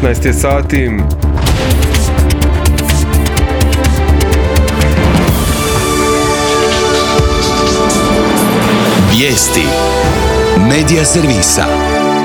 19 je sati. Vijesti Medija servisa.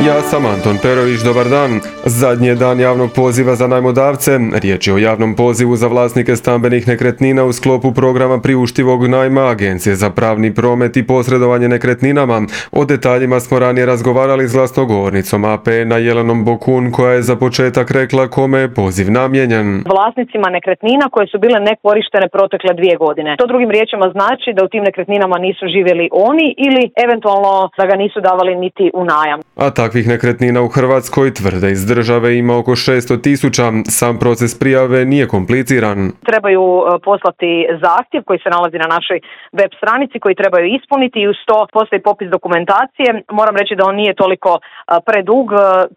Ja sam Anton Perović, dobar dan. Zadnji je dan javnog poziva za najmodavce. Riječ je o javnom pozivu za vlasnike stambenih nekretnina u sklopu programa priuštivog najma Agencije za pravni promet i posredovanje nekretninama. O detaljima smo ranije razgovarali s glasnogovornicom APN-a Jelenom Bokun, koja je za početak rekla kome je poziv namijenjen. Vlasnicima nekretnina koje su bile nekorištene protekle 2 godine. To drugim riječima znači da u tim nekretninama nisu živjeli oni ili eventualno da ga nisu davali niti u najam. A takvih nekretnina u Hrvatskoj, tvrde iz države, ima oko 600.000. Sam proces prijave nije kompliciran. Trebaju poslati zahtjev koji se nalazi na našoj web stranici koji trebaju ispuniti i uz to postoji popis dokumentacije. Moram reći da on nije toliko predug,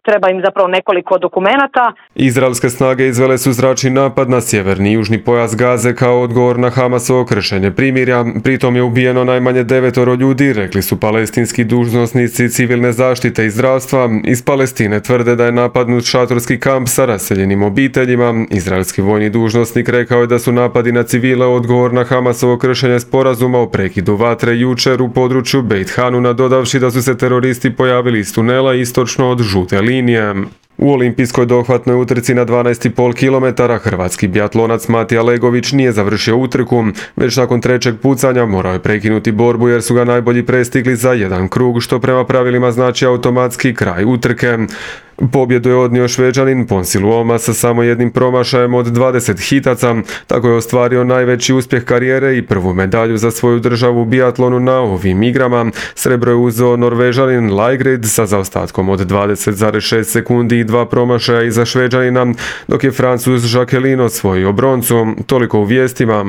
treba im zapravo nekoliko dokumenata. Izraelske snage izvele su zračni napad na sjeverni i južni pojas Gaze kao odgovor na Hamasovo kršenje primirja. Pritom je ubijeno najmanje 9 ljudi, rekli su palestinski dužnosnici civilne zaštite i zdravstva. Iz Palestine tvrde da je napadnut šatorski kamp sa raseljenim obiteljima. Izraelski vojni dužnosnik rekao je da su napadi na civile odgovor na Hamasovo kršenje sporazuma o prekidu vatre jučer u području Beit Hanuna, dodavši da su se teroristi pojavili iz tunela istočno od žute linije. U olimpijskoj dohvatnoj utrci na 12,5 km hrvatski biatlonac Matija Legović nije završio utrku, već nakon trećeg pucanja morao je prekinuti borbu jer su ga najbolji prestigli za jedan krug, što prema pravilima znači automatski kraj utrke. Pobjedu je odnio Šveđanin Ponsi Luoma sa samo jednim promašajem od 20 hitaca. Tako je ostvario najveći uspjeh karijere i prvu medalju za svoju državu u biatlonu na ovim igrama. Srebro je uzeo Norvežanin Laigrid sa zaostatkom od 20,6 sekundi i 2 promašaja iza Šveđanina, dok je Francuz Jacqueline osvojio broncu. Toliko u vijestima.